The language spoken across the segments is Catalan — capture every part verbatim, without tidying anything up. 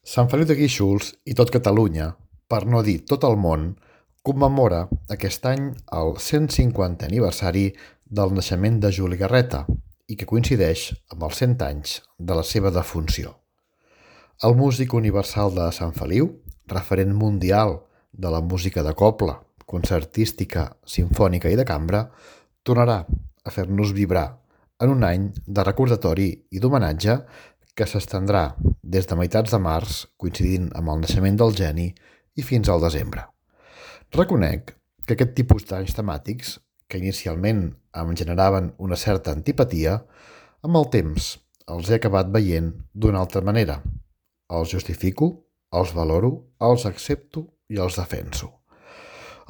Sant Feliu de Guíxols i tot Catalunya, per no dir tot el món, commemora aquest any el cent cinquantè aniversari del naixement de Juli Garreta i que coincideix amb els cent anys de la seva defunció. El músic universal de Sant Feliu, referent mundial de la música de cobla, concertística, simfònica i de cambra, tornarà a fer-nos vibrar en un any de recordatori i d'homenatge que s'estendrà des de meitats de març, coincidint amb el naixement del geni, i fins al desembre. Reconec que aquest tipus d'anys temàtics, que inicialment em generaven una certa antipatia, amb el temps els he acabat veient d'una altra manera. Els justifico, els valoro, els accepto i els defenso.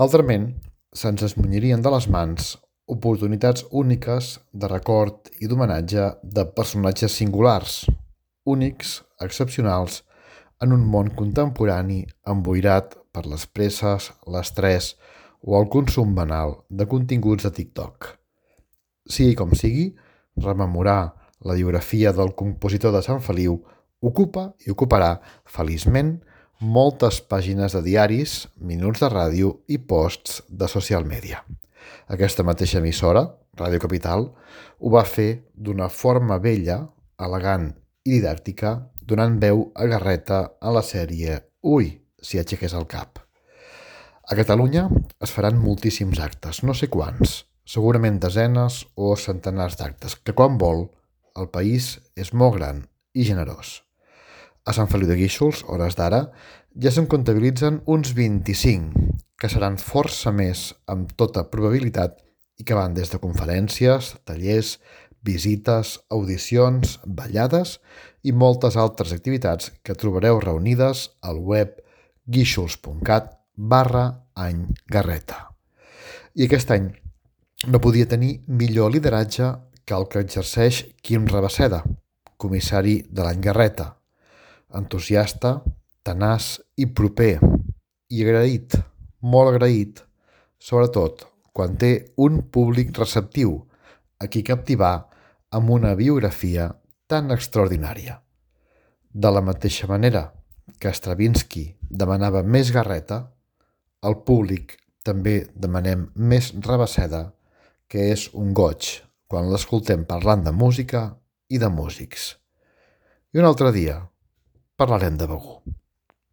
Altrament, se'ns esmunyirien de les mans oportunitats úniques de record i d'homenatge de personatges singulars, únics, excepcionals, en un món contemporani emboirat per les presses, l'estrès o el consum banal de continguts de TikTok. Sigui com sigui, rememorar la biografia del compositor de Sant Feliu ocupa i ocuparà, feliçment, moltes pàgines de diaris, minuts de ràdio i posts de social media. Aquesta mateixa emissora, Ràdio Capital, ho va fer d'una forma bella, elegant i didàctica, donant veu a Garreta a la sèrie Ui, si aixequés el cap. A Catalunya es faran moltíssims actes, no sé quants, segurament desenes o centenars d'actes, que quan vol, el país és molt gran i generós. A Sant Feliu de Guíxols, hores d'ara, ja se'n comptabilitzen uns vint-i-cinc, que seran força més amb tota probabilitat i que van des de conferències, tallers, visites, audicions, ballades i moltes altres activitats que trobareu reunides al web guixols.cat barra any Garreta. I aquest any no podia tenir millor lideratge que el que exerceix Quim Rabaseda, comissari de l'any Garreta. Entusiasta, tenaç i proper, i agraït, molt agraït, sobretot quan té un públic receptiu a qui captivar amb una biografia tan extraordinària. De la mateixa manera que Stravinsky demanava més Garreta, el públic també demanem més Rabaseda, que és un goig quan l'escoltem parlant de música i de músics. I un altre dia parlarem de Begur.